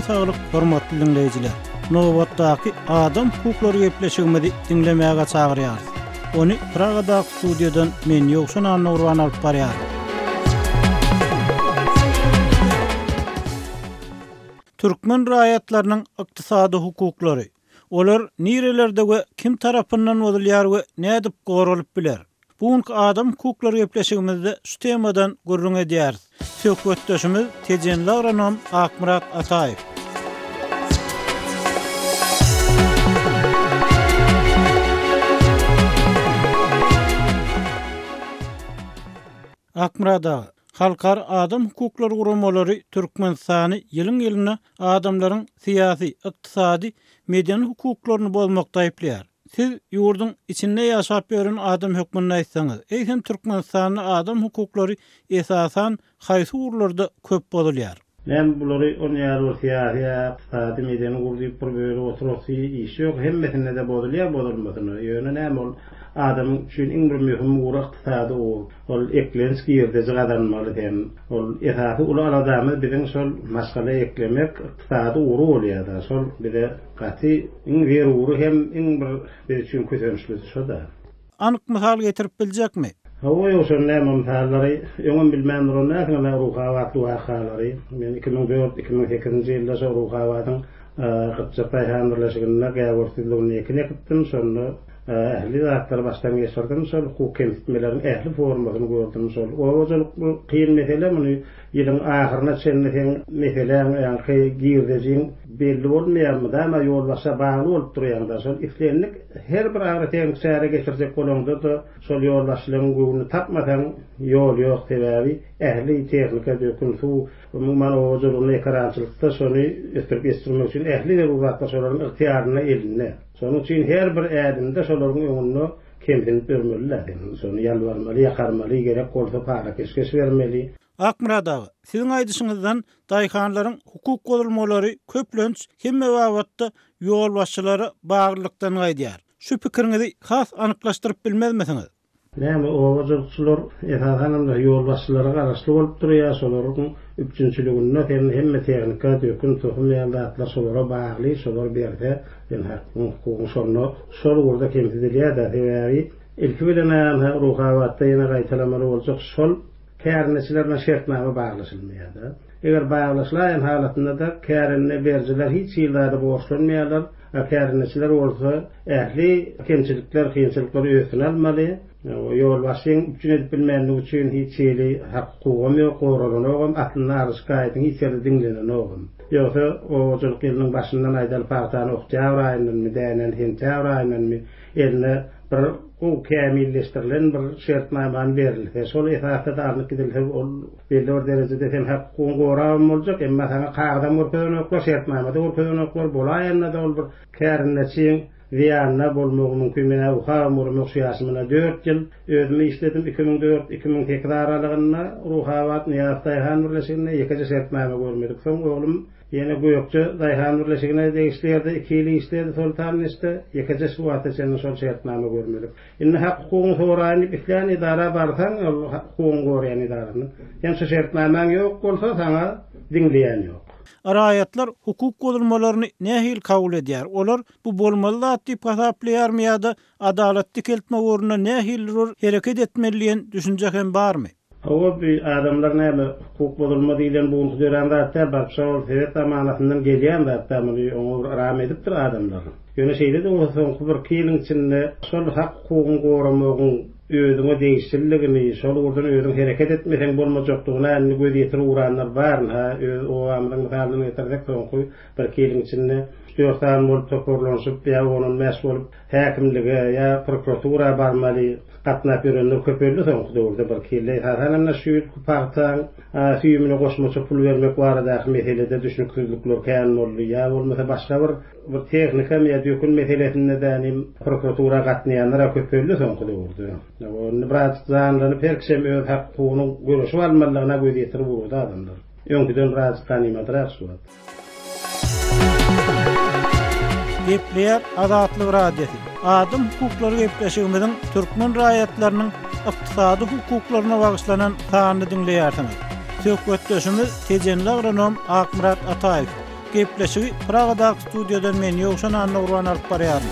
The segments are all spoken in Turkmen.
Janyňyza saglyk hormatly diňleýjiler! Nobatdaky adam hukuklary gepleşigimizi diňlemäge çagyrýarys. Ony Pragadaky studiýadan men Ýowşan Annagurban alyp barýaryn. Türkmen raýatlarynyň ykdysady hukuklary. Olar nirelerde we kim tarapyndan bozulýar we nädip goralyp biler? Bu günki Adam hukuklary gepleşigimizde şu temadan gürrüň edýäris. Söhbetdeşimiz tejenli agronom Akmyrat Ataýew. Akmyrat aga, halkara adam hukuklary guramalary Türkmenistany ýylyň-ýylyna adamlaryň syýasy, ykdysady, medeni hukuklaryny bozmakda aýyplaýar. Siz ýurduň içinde ýaşap ýören adam hökmünde aýtsaňyz, eýsem Türkmenistanda adam hukuklary esasan haýsy ugurlarda köp bozulýar? Näme bulary on ýaly bir syýasy ýa ykdysady, medeni ugur diýip bir bölüp oturasy iş ýok. Hemmesinde-de bozulýar bozulmasyna. Ýöne näme ol adamyň üçin iň bir möhüm ugry ykdysady ugur. Ol eklenç girdeji gazanmaly sen. Ol esasy uly aladamyz biziň şol maşgala eklemek ykdysady ugry bolýar-da. Şol bize Gaty iň zerury hem iň bir biz üçin kösençlisi şo-da. Anyk mysal getirip biljekmi? Hawa ýogsa näme mysallary öňem bilmän duran dälsiňiz-ä Ruhabatly wakalary. Men 2004, 2008-nji ýylda şo Ruhabadyň Gypjak daýhan birleşiginde Gäwür düzlüginde ekin ekipdim. Şonda ähli zatlary başdan geçirdim. Şol hukuk kemsitmeleriň ähli formasyny gördüm. Şol oba hojalyk bu kyn mesele muny ýylyň ahyryna çenli seň meseläň ýaňky girdejiň Belli bolmaýar, mydama ýolbaşça bagly bolup durýaňda, şol islendik her bir agrotehniki çäre geçirjek bolaňda-da şol ýolbaşçylaryň göwnüni tapmasaň ýol ýok, sebäbi ähli tehnika, dökün, suw, umuman oba hojalygynda, ekerançylykda şony ösdürip ýetişdirmek üçin ähli zerur zatlar şolaryň ygtyýarynda, elinde. Şonuň üçin her bir ädimde şolaryň öňünde kemsinip ýörmeli-dä sen, şony ýalbarmaly, ýakarmaly, gerek bolsa para-peşgeş bermeli. Akmyrat aga, siziň aýdyşyňyzdan daýhanlaryň hukuk bozulmalary köplenç hemme babatda ýolbaşçylara baglylykdan gaýdýar. Şu pikiriňizi has anyklaşdyryp bilmezmisiňiz? Näme, oba hojalykçylar esasanam-da ýolbaşçylara garaşly bolup durýar, şolaryň üpjünçiliginde sen hemme tehnika, dökün, tohum ýaly zatlar şolara bagly, şolar berse sen hakyň, hukugyň şonda şol ugurda kemsidilýär-dä, sebäbi ilki bilen-ä Ruhabatda ýene gaýtalamaly boljak şol Kärendeçiler bilen şertnama baglaşylmaýar-da. Eger baglaşylaýan halatynda-da kärende berijiler hiç hili zada borçlanmaýarlar, a kärendeçiler bolsa ähli kemçilikler, kynçylyklary öz üstüne almaly. Ýolbaşçyň üpjün edip bilmänligi üçin hiç hili hak-hukugam ýok, goralanogam, aslynda arz-şikaýatyň hiç ýerde diňlenenogam. Ýogsa oba hojalyk ýylynyň başyndan aýdaly pagtany oktýabr aýyndanmy, dänäni sentýabr aýyndanmy eline bir gowy kämilleşdirilen bir şertnamany berilse, şol esasda-da alnyp gidilse, ol belli bir derejede sen hak-hukugyňy gorabam boljak, emma saňa kagyzam görkezenoklar, şertnama-da görkezenoklar, bolaýanda-da ol bir kärendeçiň zyýanyna bolmagy mümkin. Men-ä ukabam göremok şu ýaşymda dört ýyl özüm işledim, 2004, 2008 aralygynda Ruhabat Nyýazow daýhan birleşiginde ýekeje şertnama görmedik. Soň oglum Ýene Gökje daýhan birleşigine degişli ýerde iki ýyl işledi Soltanneşde, ýekeje şu wagta çenli şol şertnama görmedik. Indi hak-hukugyňy soraýyn diýip islän edara barsaň, ol hak-hukugyňy goraýan edarasyna, sen şu şertnamaň ýok bolsa, saňa diňleýän ýok. Raýatlar hukuk bozulmalaryny nähili kabul edýär? Olar bu bolmaly zat diýip hasaplaýarmy ýa-da adalat dikeltmek ugrunda nähilidir bir hereket etmeli diýen düşünje hem barmy? Hawa, bi adamlar näme, hukuk bozulma diýlen bu günki dörän zat däl, baryp şol sowet zamanasyndan gelýän zat däl, muny oňa bir ram edipdir adamlar. Ýöne şeýle-de bolsa soňky birki ýylyň içinde şol hak-hukugyňy goramagyň özüňe degişliligini, şol ugurdan özüň hereket etmeseň bolmajakdygyna indi göz ýetirip ugranlar bar. Ynha, öz obamyzyň mysalyny getirsek, soňky birki ýylyň içinde üç-dört sany bolup toparlanyşyp ýa on-on bäş bolup häkimlige ýa prokuratura barmaly, Gatnap ýörenler köpeldi soňky döwürde birki ýylda. Esasan hem-de şu ýylky pagtaň süýümine goşmaça pul bermek baradaky meselede düşnüksizlikler kän boldy. Ýa bolmasa başga bir bir tehnikam ýa dökün meselesinde-de nim prokuratura gatnaýanlar-a köpeldi soňky döwürde. Indi birazjyk janlanyp her kişem öz hak-hukugyny göreşip almalydygyna göz ýetirip ugrady adamlar. Öňküden birazjyk ganymadrak şu wagt. Gepleýär Azatlyk Radiosy. Adam hukuklary gepleşigimiziň türkmen raýatlarynyň ykdysady hukuklaryna bagyşlanan sanyny diňleýärsiňiz. Söhbetdeşimiz tejenli agronom Akmyrat Ataýew. Gepleşigi Pragadaky studiýadan men Ýowşan Annagurban alyp barýaryn.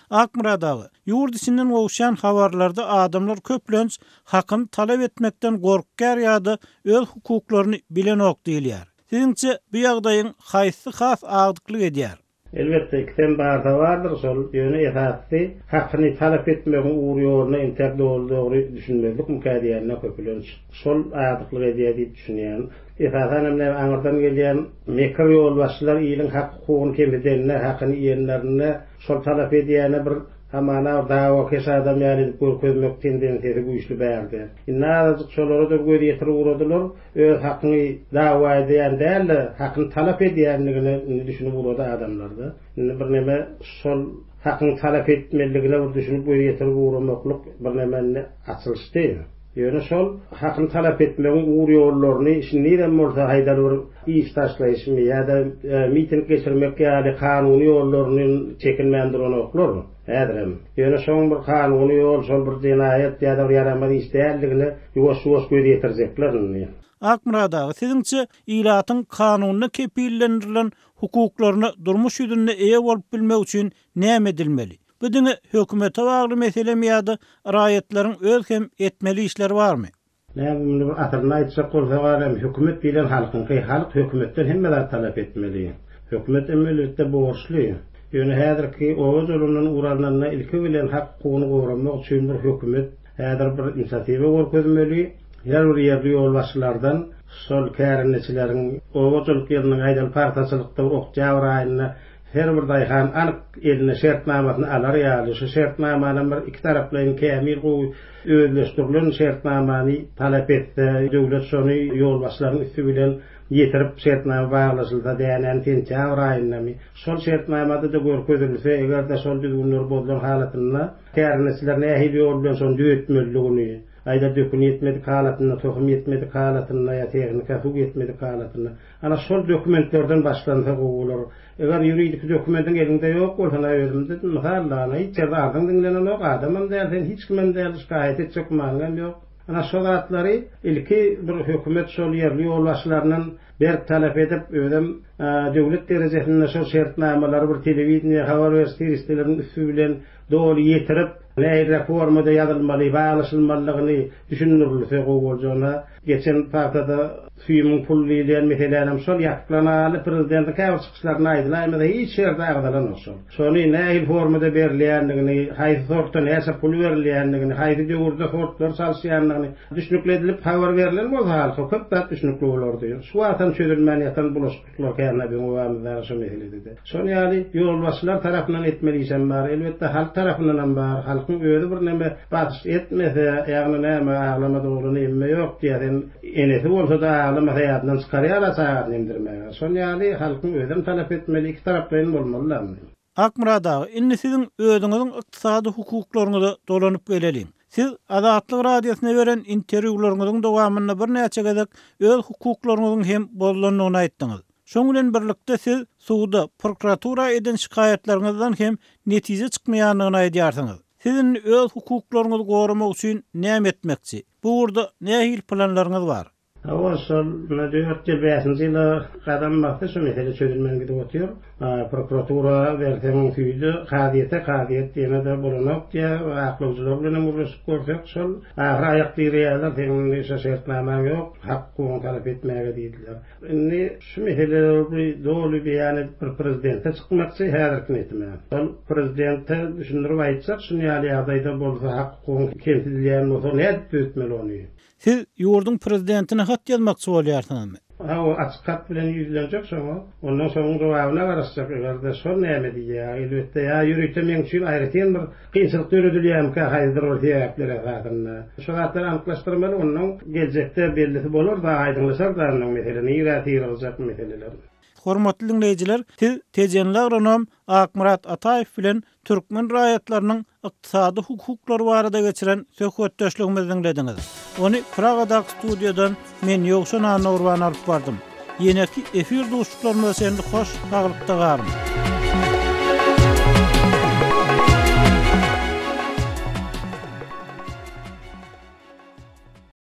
Akmyrat aga, ýurt içinden gowuşýan habarlarda adamlar köplenç hakyny talap etmekden gorkýar ýa-da öz hukuklaryny bilenok diýilýär. Siziňçe bu ýagdaýyň haýsysy has agdyklyk edýär? Elbetde, ikisem barsa bardyr şol, ýöne esasysy hakyny talap etmegiň ugur-ýoluna entäk doly-dogry düşünmezlikmikä diýende köpülenç şol agdyklyk edýär diýip düşünýän. Esasan hem näme aňyrdan gelýän mekir ýolbaşçylar iliň hak-hukugyny kemsidende, hakyny iýenlerinde şol talap edýäne bir hamana bir dawakeş adam ýaly edip görkezmek tendensiýasy güýçli bärde. Indi azajyk şolara-da göz ýetirip ugradylar. Öz hakyňy dawa edýän däl-de, hakyny talap edýändigine indi düşünip ugrady adamlar-da. Indi birneme şol hakyňy talap etmelidigine bir düşünip göz ýetirip ugramaklyk birneme indi açylyşdy. Ýöne şol hakyny talap etmegiň ugur-ýollaryny şindizem bolsa haýdar bir iş taşlaýyşmy ýa-da miting geçirmek ýaly kanuny ýollaryny çekinmän duranoklar häzirem. Ýöne şoň bir kanuny ýol, şol bir jenaýat ýa-da bir ýaramaz iş däldigine ýuwaş-ýuwaş göz ýetirjekler indi. Akmyrat aga, siziňçe, ilatyň kanunda kepillendirilen hukuklaryna durmuş ýüzünde eýe bolup bilmek üçin näme edilmeli? Bu diňe hökümete bagly meselemi ýa-da raýatlaryň öz hem etmeli işleri barmy? Näme muny bir asylyny aýtjak bolsak alem hökümet diýlen halkyňky, halk hökümetden hemme zat talap etmeli. Hökümet hem elbetde borçly. Ýöne häzirki oba jolundan ugur alnanda ilki bilen hak hukugyny goramak üçin bir hökümet häzir bir inisiatiwa görkezmeli. Her bir ýerli ýolbaşçylardan şol kärendeçileriň oba hojalyk ýylynyň aýdaly pagtaçylykda bir oktýabr aýynda Her bir daýhan anyk eline şertnamasyny alar ýaly, şu şertnamanam bir ikitaraplaýyn kämil gowy özleşdirilen şertnamany talap etse, döwlet şony ýolbaşçylaryň üsti bilen ýetirip şertnama baglaşylsa, dänäni sentýabr aýyndamy, şol şertnamada-da görkezilse, eger-de şol düzgünler bozulan halatynda kärendeçiler nähili ýol bilen şony düzetmelidigini, aýda dökün ýetmedik halatynda, tohum ýetmedik halatynda ýa tehnika, suw ýetmedik halatynda, Ana şol dokumentlerden başlansa gowy bolar. Eger ýuridiki dokumentiň eliňde ýok bolsa, na özümde mysal da, ana hiç ýerde arzyň diňlenenok, adamam däl sen, hiç kimem däl, şikaýat etjek gümanyňam ýok. Ana şo zatlary ilki bir hökümet şol ýerli ýolbaşçylaryndan berk talap edip, özem döwlet derejesinde şol şertnamalary bir telewideniýe, habar beriş serişdeleriniň üsti bilen doly ýetirip, nähiliräk formada ýazylmaly, baglaşylmalydygyny düşündirilse gowy boljagyna Geçen pagtada süýümiň pul diýilýän meselänem şol ýapyklan aly prezidentiň käbir çykyşlarynda aýdylaýmasa hiç ýerde agzalanok şol. Şony nähili formada berilýändigini, haýsy sortda näçe pul berilýändigini, haýsy döwürde sortlary çalyşýandygyny düşnükli edilip habar berlen bolsa halka köp zat düşnükli bolardy. Şu wagtam çözülmän ýatan bulaşyklyklar Kände biziň obamyzdaky şo meselede-de. Şol ýaly ýolbaşçylar tarapyndan etmeli işem bar, elbetde halk tarapyndanam bar. Halkyň özi birneme basyş etmese, ýagny näme aglamadyk oglana emme ýok diýýär, sen enesi bolsa-da aglamasa ýadyndan çykarýar-a çagasyny emdirmäge. Şol ýaly halkyň özem talap etmeli, ikitaraplaýyn bolmaly-da indi. Akmyrat aga, indi siziň özüňiziň ykdysady hukuklaryňyza dolanyp geleliň. Siz Azatlyk Radiosyna beren interwýularyňyzyň dowamynda birnäçe gezek öz hukuklaryňyzyň hem bozulandygyny aýtdyňyz. Şoň bilen birlikde siz suda, prokuratura eden şikaýatlaryňyzdan hem netije çykmaýandygyny aýdýarsyňyz. Siz indi öz hukuklaryňyzy goramak üçin näme etmekçi? Bu ugurda nähili planlaryňyz bar? Hawa, şol ine dört ýyl, bäşinji ýyla gadam basdy, şu mesele çözülmän gidip otyr. Prokuratura berseň süýde, kazyýete, kazyýet ýene-de bolanok diýýär. Aklawjylar bilenem gürleşip görsek, şol ahyry aýak direýärler, seniň indi şo şertnamaň ýok, hak-hukugyňy talap etmäge diýdiler. Indi şu meseleleri doly beýan edip bir prezidente çykmakçy häzirki niýetim. Şol prezidente düşündirip aýtjak, şuny ýaly ýagdaýda bolsa, hak-hukugyň kemsidilýän bolsa nädip düzetmeli ony? Siz ýurduň prezidentine hat ýazmakçy bolýarsyňyzmy? Hawa, açyk hat bilen ýüzlenjek şoňa. Ondan şonuň jogabyna garaşjak, eger-de şol näme diýýär, elbetde, ýa ýörite meň üçin aýratyn bir kynçylyk döredilýärmikä haýsydyr bir sebäpler esasynda. Şo zatlary anyklaşdyrmaly, onnoň geljekde bellisi bolar-da, aýdyňlaşar-da onnoň mesele, nirä syrygjak meseleler. Hormatly diňleýjiler, siz tejenli agronom Akmyrat Ataýew bilen türkmen raýatlarynyň ykdysady hukuklary barada geçiren söhbetdeşligimizi diňlediňiz. Ony Pragadaky studiýadan men Ýowşan Annagurban alyp bardym. Ýeneki efir duşuşyklarymyza çenli hoş saglykda galyň!